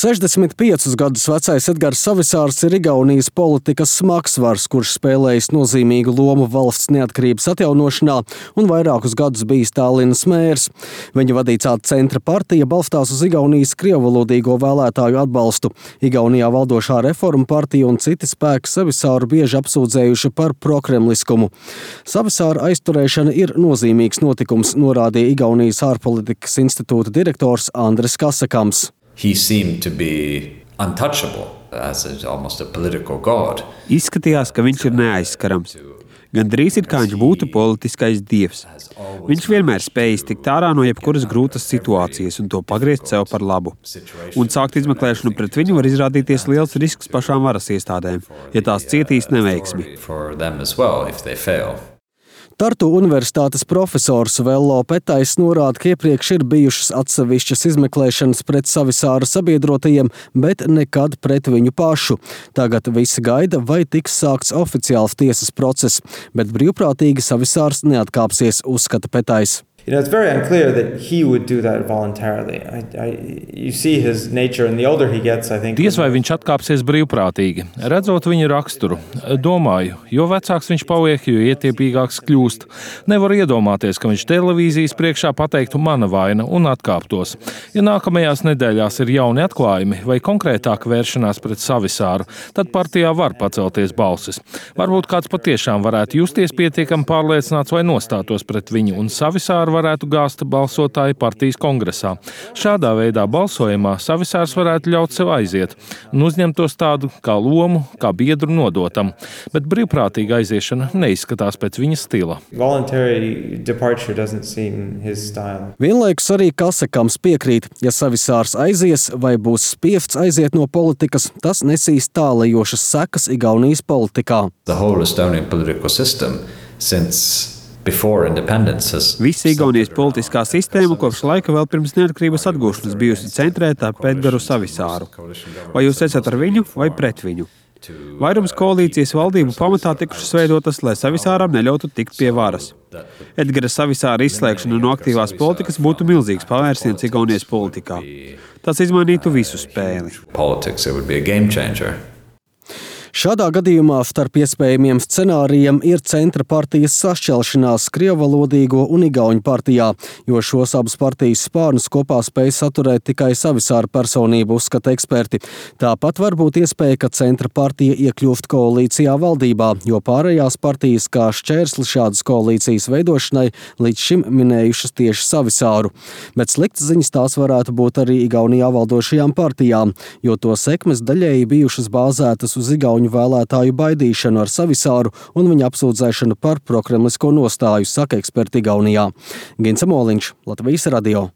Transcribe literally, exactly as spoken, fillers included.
sešdesmit piecus gadus vecais Edgars Savisārs ir Igaunijas politikas smagsvars, kurš spēlējis nozīmīgu lomu valsts neatkarības atjaunošanā un vairākus gadus bijis Tallinas mērs. Viņa vadītā centra partija balstās uz Igaunijas krievvalodīgo vēlētāju atbalstu. Igaunijā valdošā Reforma partija un citi spēki Savisāru bieži apsūdzējuši par prokremliskumu. Savisāra aizturēšana ir nozīmīgs notikums, norādīja Igaunijas ārpolitikas institūta direktors Andris Kasakams. He seemed to be untouchable as a, almost a political god. Izskatījās, ka viņš ir neaizskarams. Gan drīz ir kā viņš būtu politiskais dievs. Viņš vienmēr spējis tikt ārā no jebkuras grūtas situācijas un to pagriezt sev par labu. Un sākt izmeklēšanu pret viņu var izrādīties liels risks pašām varas iestādēm, ja tās cietīs neveiksmi. Tartu universitātes profesors Vello Petais norāda, ka iepriekš ir bijušas atsevišķas izmeklēšanas pret Savisāra sabiedrotajiem, bet nekad pret viņu pašu. Tagad visi gaida, vai tiks sākts oficiāls tiesas process, bet brīvprātīgi Savisārs neatkāpsies, uzskata Petais. You know, it's very unclear that he would do that voluntarily. I, I, you see his nature, and the older he gets, I think... Diez vai viņš atkāpsies brīvprātīgi. Redzot viņa raksturu, domāju, jo vecāks viņš paliek, jo ietiepīgāks kļūst. Nevar iedomāties, ka viņš televīzijas priekšā pateiktu mana vaina un atkāptos. Ja nākamajās nedēļās ir jauni atklājumi vai konkrētāka vēršanās pret Savisāru, tad partijā var pacelties balsis. Varbūt kāds patiešām varētu justies pietiekami pārliecināts vai nostātos pret viņu un Savisāru varētu gāzt balsotāji partijas kongresā. Šādā veidā balsojumā Savisārs varētu ļaut sev aiziet un uzņemtos tādu kā lomu, kā biedru nodotam, bet brīvprātīga aiziešana neizskatās pēc viņa stila. Vienlaikus arī Kasakams piekrīt, ja Savisārs aizies vai būs spiests aiziet no politikas, tas nesīs tālajošas sekas Igaunijas politikā. The whole Estonian political system since Visa Igaunijas politiskā sistēma kopš laika vēl pirms neatkarības atgūšanas bijusi centrētā ap Edgaru Savisāru. Vai jūs esat ar viņu vai pret viņu? Vairums koalīcijas valdību pamatā tikušas veidotas, lai Savisāram neļautu tikt pie varas. Edgara Savisāra izslēgšana no aktīvās politikas būtu milzīgs pavērsiens Igaunijas politikā. Tas izmainītu visu spēli. Šādā gadījumā starp iespējamiem scenārijiem ir centra partijas sašķelšanās krievvalodīgo un igauņu partijā, jo šos abas partijas spārnus kopā spēj saturēt tikai Savisāra personību, uzskata eksperti. Tāpat var būt iespēja, ka centra partija iekļūst koalīcijā valdībā, jo pārējās partijas kā šķērsli šādas koalīcijas veidošanai līdz šim minējušas tieši Savisāru. Bet sliktas ziņas tās varētu būt arī Igaunijā valdošajām partijām, jo to sekmes daļēji bijušas bāzētas uz igauņu vēlētāju baidīšanu ar Savisāru un viņa apsūdzēšanu par prokremlisko nostāju, saka eksperti Igaunijā. Gins Amoliņš, Latvijas radio.